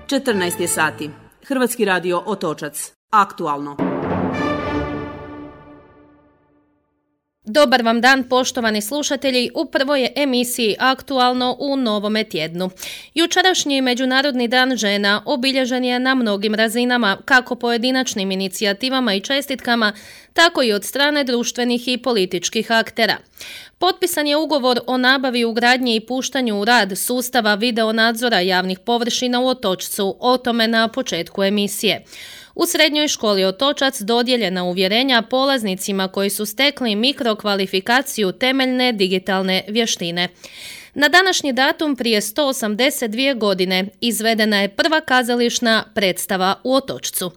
14 je sati. Hrvatski radio Otočac. Aktualno. Dobar vam dan, poštovani slušatelji, u prvoj je emisiji Aktualno u novome tjednu. Jučerašnji Međunarodni dan žena obilježen je na mnogim razinama, kako pojedinačnim inicijativama i čestitkama, tako i od strane društvenih i političkih aktera. Potpisan je ugovor o nabavi, ugradnji i puštanju u rad sustava video nadzora javnih površina u Otočcu, o tome na početku emisije. U srednjoj školi Otočac dodijeljena uvjerenja polaznicima koji su stekli mikrokvalifikaciju temeljne digitalne vještine. Na današnji datum prije 182 godine izvedena je prva kazališna predstava u Otočcu.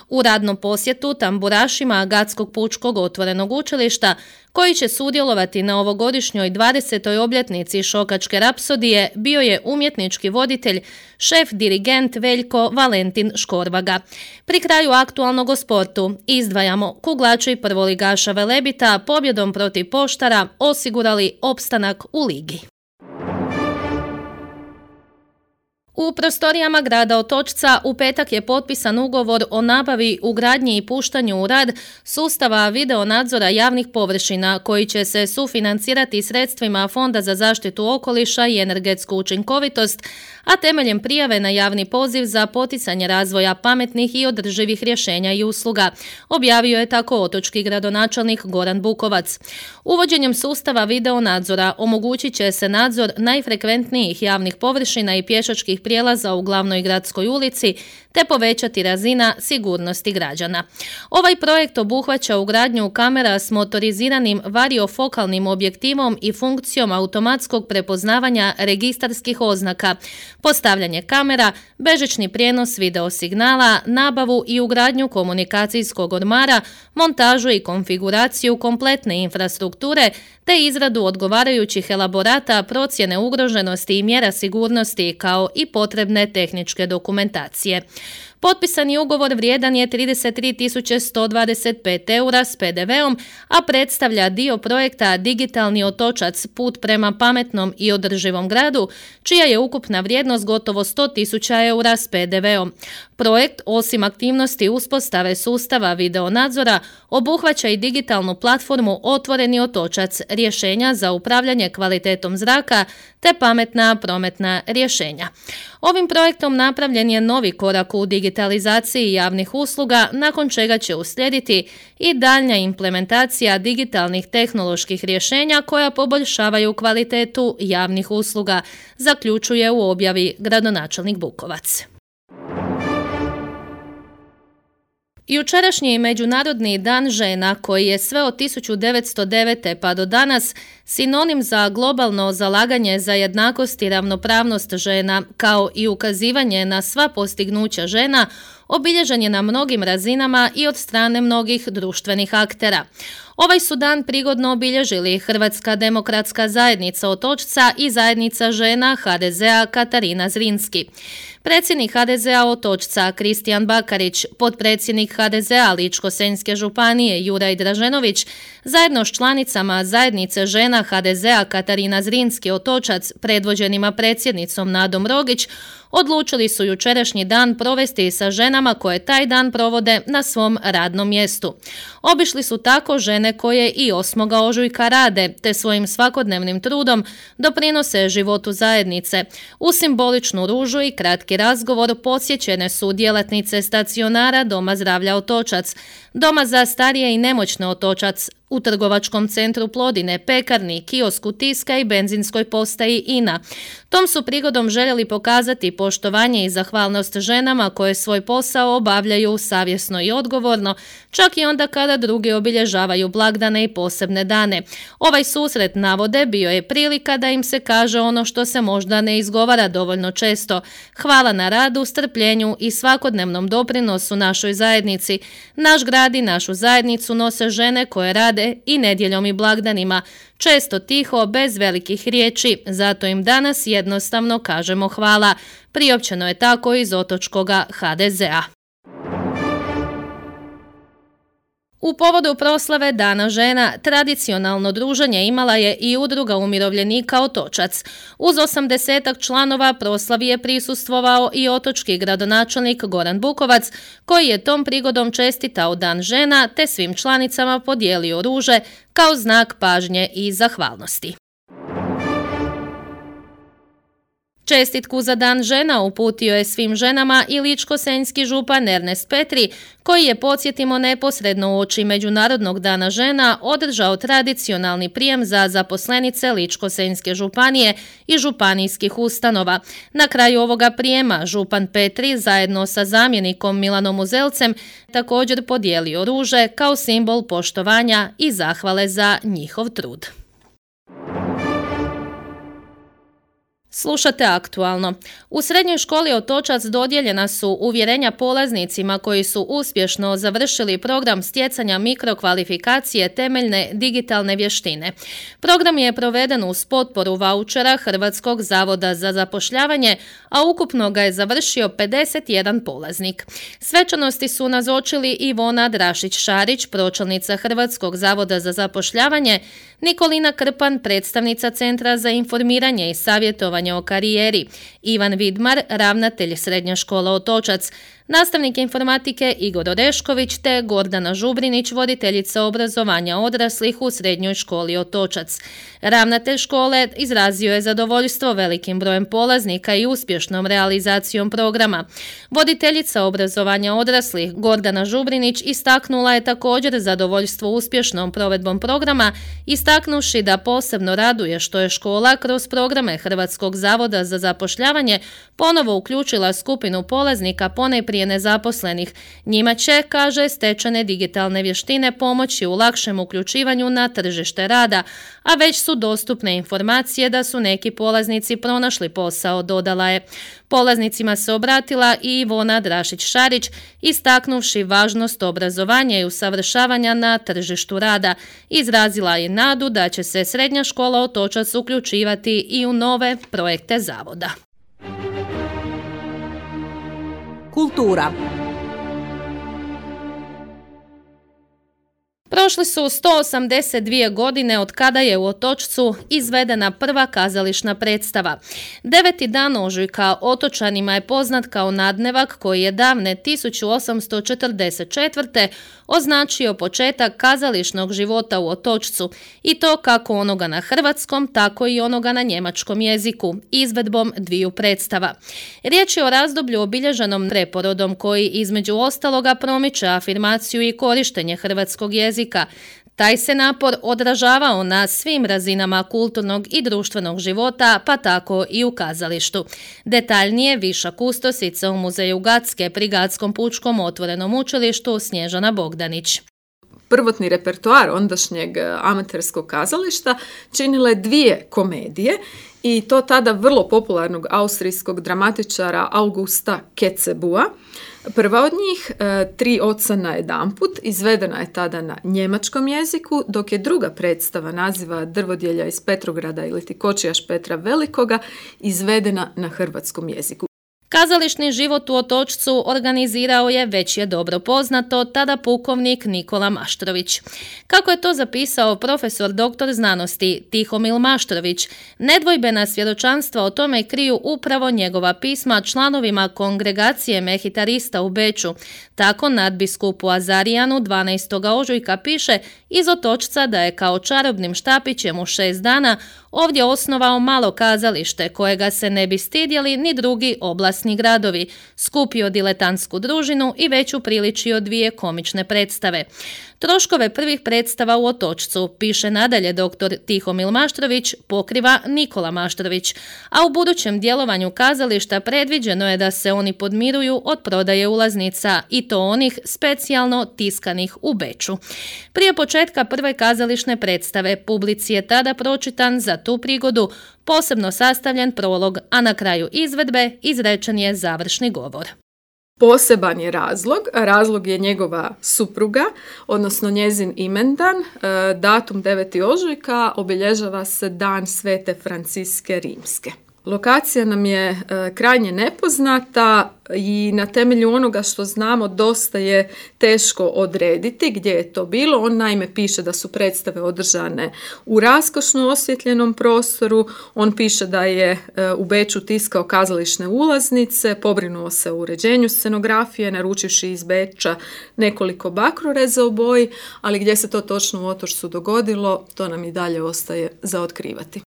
U radnom posjetu tamburašima Gatskog pučkog otvorenog učilišta, koji će sudjelovati na ovogodišnjoj 20. obljetnici Šokačke rapsodije, bio je umjetnički voditelj, šef dirigent Veljko Valentin Škorvaga. Pri kraju aktualnog o sportu izdvajamo kuglači prvoligaša Velebita pobjedom protiv Poštara osigurali opstanak u ligi. U prostorijama grada Otočca u petak je potpisan ugovor o nabavi, ugradnji i puštanju u rad sustava video nadzora javnih površina koji će se sufinancirati sredstvima Fonda za zaštitu okoliša i energetsku učinkovitost, a temeljem prijave na javni poziv za poticanje razvoja pametnih i održivih rješenja i usluga, objavio je tako otočki gradonačelnik Goran Bukovac. Uvođenjem sustava video nadzora omogućit će se nadzor najfrekventnijih javnih površina i pješačkih prijelaza u glavnoj gradskoj ulici te povećati razina sigurnosti građana. Ovaj projekt obuhvaća ugradnju kamera s motoriziranim variofokalnim objektivom i funkcijom automatskog prepoznavanja registarskih oznaka, postavljanje kamera, bežični prijenos video signala, nabavu i ugradnju komunikacijskog ormara, montažu i konfiguraciju kompletne infrastrukture te izradu odgovarajućih elaborata, procjene ugroženosti i mjera sigurnosti kao i potrebne tehničke dokumentacije. Potpisani ugovor vrijedan je 33.125 eura s PDV-om, a predstavlja dio projekta Digitalni Otočac, put prema pametnom i održivom gradu, čija je ukupna vrijednost gotovo 100.000 eura s PDV-om. Projekt, osim aktivnosti uspostave sustava video nadzora, obuhvaća i digitalnu platformu Otvoreni Otočac, rješenja za upravljanje kvalitetom zraka te pametna prometna rješenja. Ovim projektom napravljen je novi korak u digitalizaciji javnih usluga, nakon čega će uslijediti i daljnja implementacija digitalnih tehnoloških rješenja koja poboljšavaju kvalitetu javnih usluga, zaključuje u objavi gradonačelnik Bukovac. Jučerašnji Međunarodni dan žena, koji je sve od 1909. pa do danas sinonim za globalno zalaganje za jednakost i ravnopravnost žena, kao i ukazivanje na sva postignuća žena, obilježen je na mnogim razinama i od strane mnogih društvenih aktera. Ovaj su dan prigodno obilježili Hrvatska demokratska zajednica Otočca i zajednica žena HDZ-a Katarina Zrinski. Predsjednik HDZ-a Otočca Kristijan Bakarić, potpredsjednik HDZ-a Ličko-senjske županije Juraj Draženović, zajedno s članicama zajednice žena HDZ-a Katarina Zrinski Otočac, predvođenima predsjednicom Nadom Rogić, odlučili su jučerašnji dan provesti sa ženama koje taj dan provode na svom radnom mjestu. Obišli su tako žene koje i 8. ožujka rade, te svojim svakodnevnim trudom doprinose životu zajednice. U simboličnu ružu i kratki razgovor posjećene su djelatnice stacionara Doma zdravlja Otočac, Doma za starije i nemoćne Otočac, u trgovačkom centru Plodine, pekarni, kiosku Tiska i benzinskoj postaji INA. Tom su prigodom željeli pokazati poštovanje i zahvalnost ženama koje svoj posao obavljaju savjesno i odgovorno, čak i onda kada drugi obilježavaju blagdane i posebne dane. Ovaj susret, navode, bio je prilika da im se kaže ono što se možda ne izgovara dovoljno često. Hvala na radu, strpljenju i svakodnevnom doprinosu našoj zajednici. Naš grad i našu zajednicu nose žene koje rade i nedjeljom i blagdanima, često tiho, bez velikih riječi, zato im danas jednostavno kažemo hvala. Priopćeno je tako iz otočkoga HDZ-a. U povodu proslave Dana žena tradicionalno druženje imala je i Udruga umirovljenika Otočac. Uz 80 članova proslavi je prisustvovao i otočki gradonačelnik Goran Bukovac, koji je tom prigodom čestitao Dan žena te svim članicama podijelio ruže kao znak pažnje i zahvalnosti. Čestitku za Dan žena uputio je svim ženama i ličko-senjski župan Ernest Petri, koji je, podsjetimo, neposredno uoči Međunarodnog dana žena održao tradicionalni prijem za zaposlenice Ličko-senjske županije i županijskih ustanova. Na kraju ovoga prijema župan Petri zajedno sa zamjenikom Milanom Uzelcem također podijelio ruže kao simbol poštovanja i zahvale za njihov trud. Slušate Aktualno. U srednjoj školi Otočac dodijeljena su uvjerenja polaznicima koji su uspješno završili program stjecanja mikrokvalifikacije temeljne digitalne vještine. Program je proveden uz potporu vaučera Hrvatskog zavoda za zapošljavanje, a ukupno ga je završio 51 polaznik. Svečanosti su nazočili Ivona Drašić-Šarić, pročelnica Hrvatskog zavoda za zapošljavanje, Nikolina Krpan, predstavnica Centra za informiranje i savjetovanje o karijeri, Ivan Vidmar, ravnatelj Srednje škole Otočac, nastavnik informatike Igor Orešković te Gordana Žubrinić, voditeljica obrazovanja odraslih u Srednjoj školi Otočac. Ravnatelj škole izrazio je zadovoljstvo velikim brojem polaznika i uspješnom realizacijom programa. Voditeljica obrazovanja odraslih Gordana Žubrinić istaknula je također zadovoljstvo uspješnom provedbom programa, istaknuši da posebno raduje što je škola kroz programe Hrvatskog zavoda za zapošljavanje ponovo uključila skupinu polaznika ponajprije nezaposlenih. Njima će, kaže, stečene digitalne vještine pomoći u lakšem uključivanju na tržište rada, a već su dostupne informacije da su neki polaznici pronašli posao, dodala je. Polaznicima se obratila i Ivona Drašić-Šarić, istaknuvši važnost obrazovanja i usavršavanja na tržištu rada. Izrazila je nadu da će se Srednja škola Otočac uključivati i u nove projekte zavoda. Kultura. Prošli su 182 godine od kada je u Otočcu izvedena prva kazališna predstava. 9. dan ožujka otočanima je poznat kao nadnevak koji je davne 1844. označio početak kazališnog života u Otočcu, i to kako onoga na hrvatskom, tako i onoga na njemačkom jeziku, izvedbom dviju predstava. Riječ je o razdoblju obilježenom preporodom koji između ostaloga promiče afirmaciju i korištenje hrvatskog jezika. Taj se napor odražavao na svim razinama kulturnog i društvenog života, pa tako i u kazalištu. Detaljnije viša kustosica u muzeju Gatske pri Gatskom pučkom otvorenom učilištu Snježana Bogdanić. Prvotni repertoar ondašnjeg amaterskog kazališta činile dvije komedije, i to tada vrlo popularnog austrijskog dramatičara Augusta Kecebua. Prva od njih, Tri oca najedanput, izvedena je tada na njemačkom jeziku, dok je druga predstava naziva Drvodjelja iz Petrograda ili ti Kočijaš Petra Velikoga izvedena na hrvatskom jeziku. Kazališni život u Otočcu organizirao je, već je dobro poznato, tada pukovnik Nikola Maštrović. Kako je to zapisao profesor doktor znanosti Tihomil Maštrović, nedvojbena svjedočanstva o tome kriju upravo njegova pisma članovima kongregacije mehitarista u Beču. Tako nadbiskupu Azarijanu 12. ožujka piše iz Otočca da je kao čarobnim štapićem u 6 dana ovdje osnovao malo kazalište kojega se ne bi stidjeli ni drugi oblasni gradovi, skupio diletantsku družinu i već upriličio 2 komične predstave. Troškove prvih predstava u Otočcu, piše nadalje dr. Tihomil Maštrović, pokriva Nikola Maštrović, a u budućem djelovanju kazališta predviđeno je da se oni podmiruju od prodaje ulaznica, i to onih specijalno tiskanih u Beču. Prije početka prve kazališne predstave publici je tada pročitan za tu prigodu posebno sastavljen prolog, a na kraju izvedbe izrečen je završni govor. Poseban je razlog je njegova supruga, odnosno njezin imendan. Datum 9. ožujka obilježava se dan Svete Franciske Rimske. Lokacija nam je krajnje nepoznata i na temelju onoga što znamo dosta je teško odrediti gdje je to bilo. On naime piše da su predstave održane u raskošno osvjetljenom prostoru. On piše da je u Beču tiskao kazališne ulaznice, pobrinuo se o uređenju scenografije, naručivši iz Beča nekoliko bakroreza u boji, ali gdje se to točno u Otočcu dogodilo, to nam i dalje ostaje za otkrivati.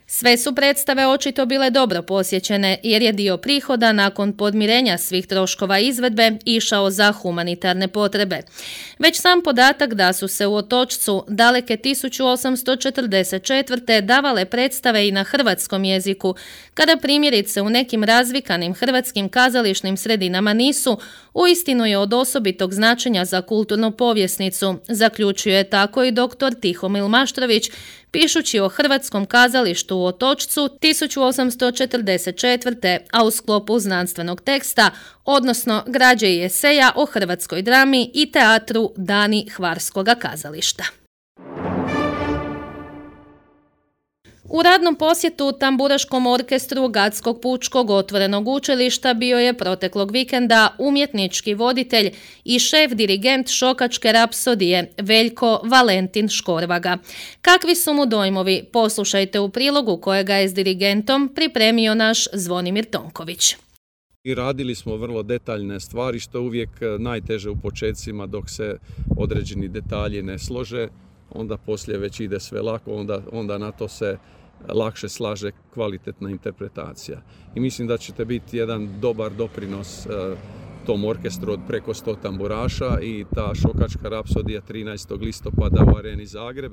Sve su predstave očito bile dobro posjećene jer je dio prihoda nakon podmirenja svih troškova izvedbe išao za humanitarne potrebe. Već sam podatak da su se u Otočcu daleke 1844. davale predstave i na hrvatskom jeziku, kada primjerice u nekim razvikanim hrvatskim kazališnim sredinama nisu, uistinu je od osobitog značenja za kulturnu povjesnicu, zaključuje tako i dr. Tihomil Maštrović, pišući o hrvatskom kazalištu u Otočcu 1844. a u sklopu znanstvenog teksta, odnosno građe i eseja o hrvatskoj drami i teatru Dani Hvarskoga kazališta. U radnom posjetu Tamburaškom orkestru Gatskog pučkog otvorenog učilišta bio je proteklog vikenda umjetnički voditelj i šef dirigent Šokačke rapsodije Veljko Valentin Škorvaga. Kakvi su mu dojmovi? Poslušajte u prilogu kojega je s dirigentom pripremio naš Zvonimir Tonković. I radili smo vrlo detaljne stvari, što je uvijek najteže u početcima dok se određeni detalji ne slože. Onda poslije već ide sve lako, onda na to se lakše slaže kvalitetna interpretacija. I mislim da ćete biti jedan dobar doprinos tom orkestru od preko 100 tamburaša i ta Šokačka rapsodija 13. listopada u Areni Zagreb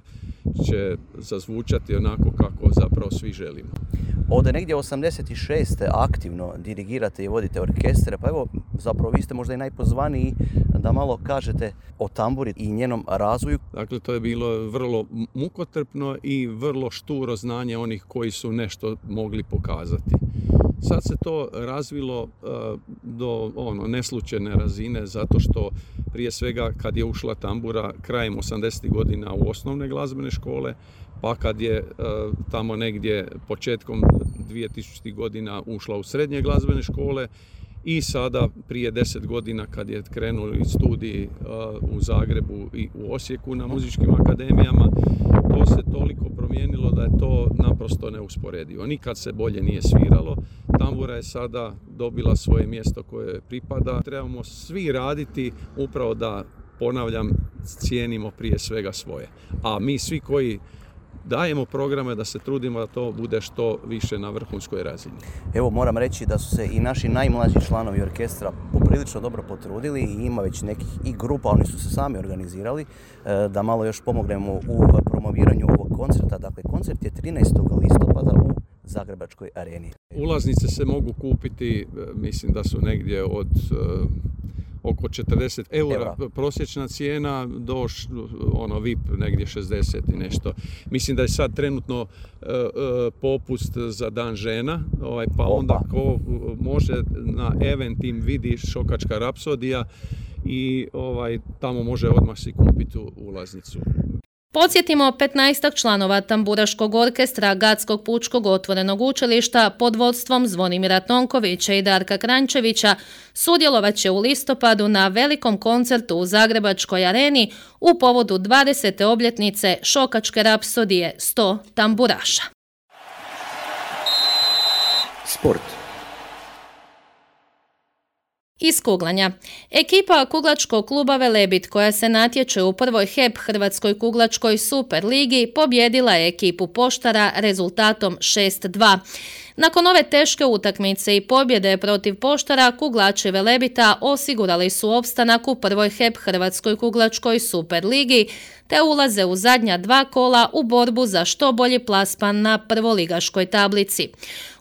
će zazvučati onako kako zapravo svi želimo. Ovdje negdje 86. aktivno dirigirate i vodite orkestre, pa evo zapravo vi ste možda i najpozvaniji da malo kažete o tamburi i njenom razvoju. Dakle, to je bilo vrlo mukotrpno i vrlo šturo znanje onih koji su nešto mogli pokazati. Sad se to razvilo do neslučajne razine zato što prije svega kad je ušla tambura krajem 80. godina u osnovne glazbene škole, pa kad je tamo negdje početkom 2000. godina ušla u srednje glazbene škole i sada prije 10 godina kad je krenuli studiji u Zagrebu i u Osijeku na muzičkim akademijama, to se toliko promijenilo da je to naprosto neusporedivo. Nikad se bolje nije sviralo. Tambura je sada dobila svoje mjesto koje pripada. Trebamo svi raditi upravo da, ponavljam, cijenimo prije svega svoje. A mi svi koji dajemo programe da se trudimo da to bude što više na vrhunskoj razini. Evo moram reći da su se i naši najmlađi članovi orkestra poprilično dobro potrudili i ima već nekih i grupa, oni su se sami organizirali da malo još pomognemo u promoviranju ovog koncerta. Dakle, koncert je 13. listopada u Zagrebačkoj areni. Ulaznice se mogu kupiti, mislim da su negdje od oko 40 eura prosječna cijena do VIP negdje 60 i nešto. Mislim da je sad trenutno popust za Dan žena, pa onda ko može na Eventim vidi Šokačka rapsodija i tamo može odmah si kupiti ulaznicu. Podsjetimo, 15 članova Tamburaškog orkestra Gatskog pučkog otvorenog učilišta pod vodstvom Zvonimira Tonkovića i Darka Kranjčevića sudjelovat će u listopadu na velikom koncertu u Zagrebačkoj areni u povodu 20. obljetnice Šokačke rapsodije 100 tamburaša. Sport. Iz kuglanja. Ekipa kuglačkog kluba Velebit koja se natječe u prvoj HEP Hrvatskoj kuglačkoj super ligi pobjedila je ekipu Poštara rezultatom 6-2. Nakon ove teške utakmice i pobjede protiv Poštara, kuglači Velebita osigurali su opstanak u prvoj HEP Hrvatskoj kuglačkoj super ligi te ulaze u zadnja 2 kola u borbu za što bolji plasman na prvoligaškoj tablici.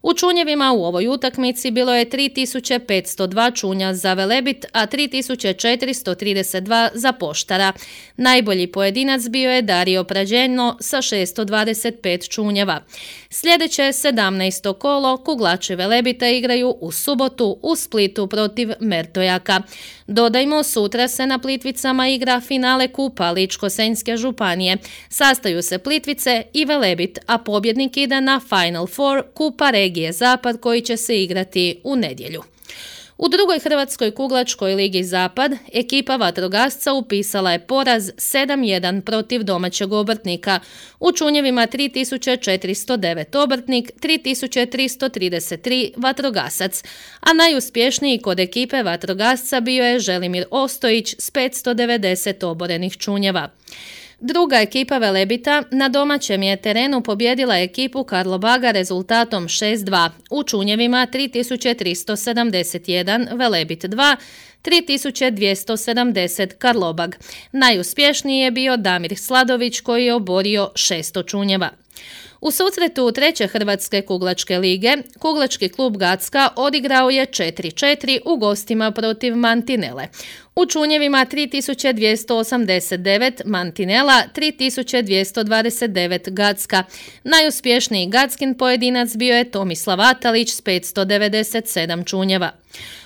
U čunjevima u ovoj utakmici bilo je 3502 čunja za Velebit, a 3432 za Poštara. Najbolji pojedinac bio je Dario Prađeno sa 625 čunjeva. Sljedeće 17. kolo kuglači Velebita igraju u subotu u Splitu protiv Mertojaka. Dodajmo, sutra se na Plitvicama igra finale kupa Ličko-senjske Šibensko-kninske županije. Sastaju se Plitvice i Velebit, a pobjednik ide na Final Four Kupa regije Zapad koji će se igrati u nedjelju. U drugoj Hrvatskoj kuglačkoj ligi Zapad ekipa vatrogasca upisala je poraz 7-1 protiv domaćeg obrtnika. U čunjevima 3409 obrtnik, 3333 vatrogasac, a najuspješniji kod ekipe vatrogasca bio je Želimir Ostojić s 590 oborenih čunjeva. Druga ekipa Velebita na domaćem je terenu pobjedila ekipu Karlobaga rezultatom 6-2. U čunjevima 3371 Velebit 2, 3270 Karlobag. Najuspješniji je bio Damir Sladović koji je oborio 600 čunjeva. U susretu treće Hrvatske kuglačke lige, kuglački klub Gacka odigrao je 4-4 u gostima protiv Mantinele. U čunjevima 3289 Mantinela, 3229 Gacka. Najuspješniji Gackin pojedinac bio je Tomislav Atalić s 597 čunjeva.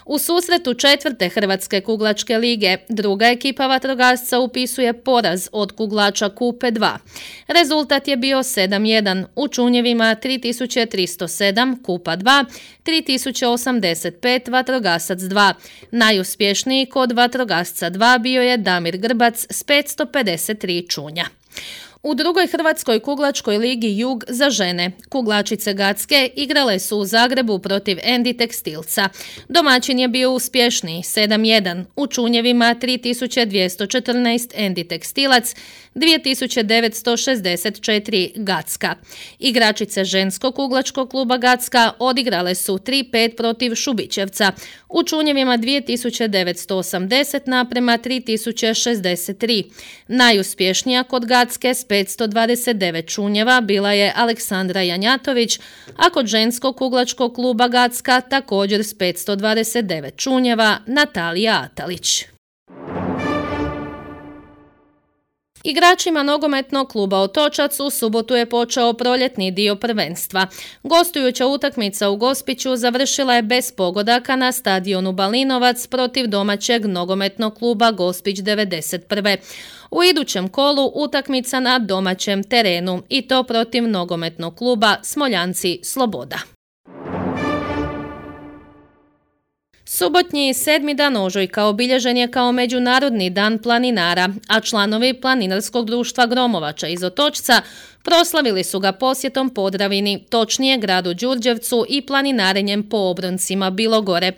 U susretu četvrte Hrvatske kuglačke lige, druga ekipa vatrogasca upisuje poraz od kuglača Kupe 2. Rezultat je bio 7-1, u čunjevima 3307 Kupa 2, 3085 vatrogasac 2. Najuspješniji kod vatrogasca 2 bio je Damir Grbac s 553 čunja. U drugoj Hrvatskoj kuglačkoj ligi Jug za žene, kuglačice Gacke igrale su u Zagrebu protiv Endi Tekstilca. Domaćin je bio uspješniji 7-1, u čunjevima 3214 Endi Tekstilac, 2964 Gacka. Igračice ženskog kuglačkog kluba Gacka odigrale su 3-5 protiv Šubićevca, u čunjevima 2980 naprema 3063. Najuspješnija kod Gacke s 529 čunjeva bila je Aleksandra Janjatović, a kod ženskog kuglačkog kluba Gacka također s 529 čunjeva Natalija Atalić. Igračima nogometnog kluba Otočac u subotu je počeo proljetni dio prvenstva. Gostujuća utakmica u Gospiću završila je bez pogodaka na stadionu Balinovac protiv domaćeg nogometnog kluba Gospić 91. U idućem kolu utakmica na domaćem terenu i to protiv nogometnog kluba Smoljanci Sloboda. Subotnji 7. dan ožujka obilježen je kao Međunarodni dan planinara, a članovi Planinarskog društva Gromovača iz Otočca proslavili su ga posjetom Podravini, točnije gradu Đurđevcu i planinarenjem po obroncima Bilogore.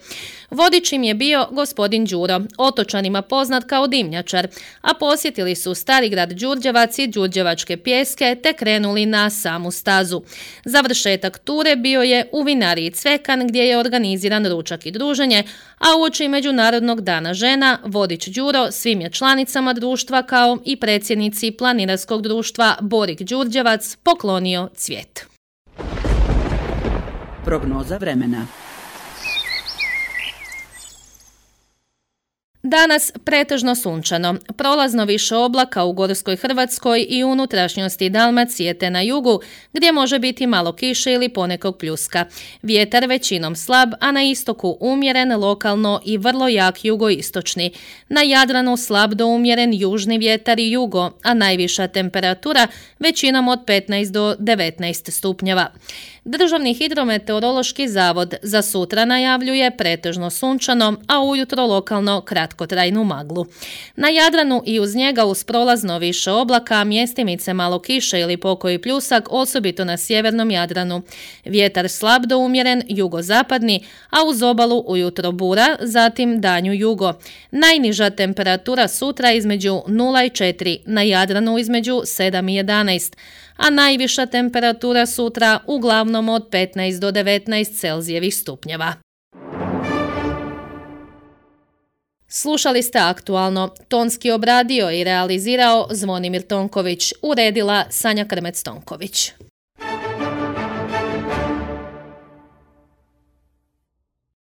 Vodič im je bio gospodin Đuro, otočanima poznat kao dimnjačar, a posjetili su stari grad Đurđevac i Đurđevačke pjeske te krenuli na samu stazu. Završetak ture bio je u vinariji Cvekan gdje je organiziran ručak i druženje, a uoči Međunarodnog dana žena vodič Đuro svim je članicama društva kao i predsjednici Planinarskog društva Borik Đurđevac poklonio cvijet. Prognoza vremena. Danas pretežno sunčano, prolazno više oblaka u Gorskoj Hrvatskoj i unutrašnjosti Dalmacije te na jugu, gdje može biti malo kiše ili ponekog pljuska. Vjetar većinom slab, a na istoku umjeren, lokalno i vrlo jak jugoistočni. Na Jadranu slab do umjeren južni vjetar i jugo, a najviša temperatura većinom od 15 do 19 stupnjeva. Državni hidrometeorološki zavod za sutra najavljuje pretežno sunčano, a ujutro lokalno kratkotrajnu maglu. Na Jadranu i uz njega uz prolazno više oblaka, mjestimice malo kiše ili pokoji pljusak, osobito na sjevernom Jadranu. Vjetar slab do umjeren, jugozapadni, a uz obalu ujutro bura, zatim danju jugo. Najniža temperatura sutra između 0 i 4, na Jadranu između 7 i 11, a najviša temperatura sutra uglavnom od 15 do 19 Celzijevih stupnjeva. Slušali ste Aktualno. Tonski obradio i realizirao Zvonimir Tonković, uredila Sanja Krmec-Tonković.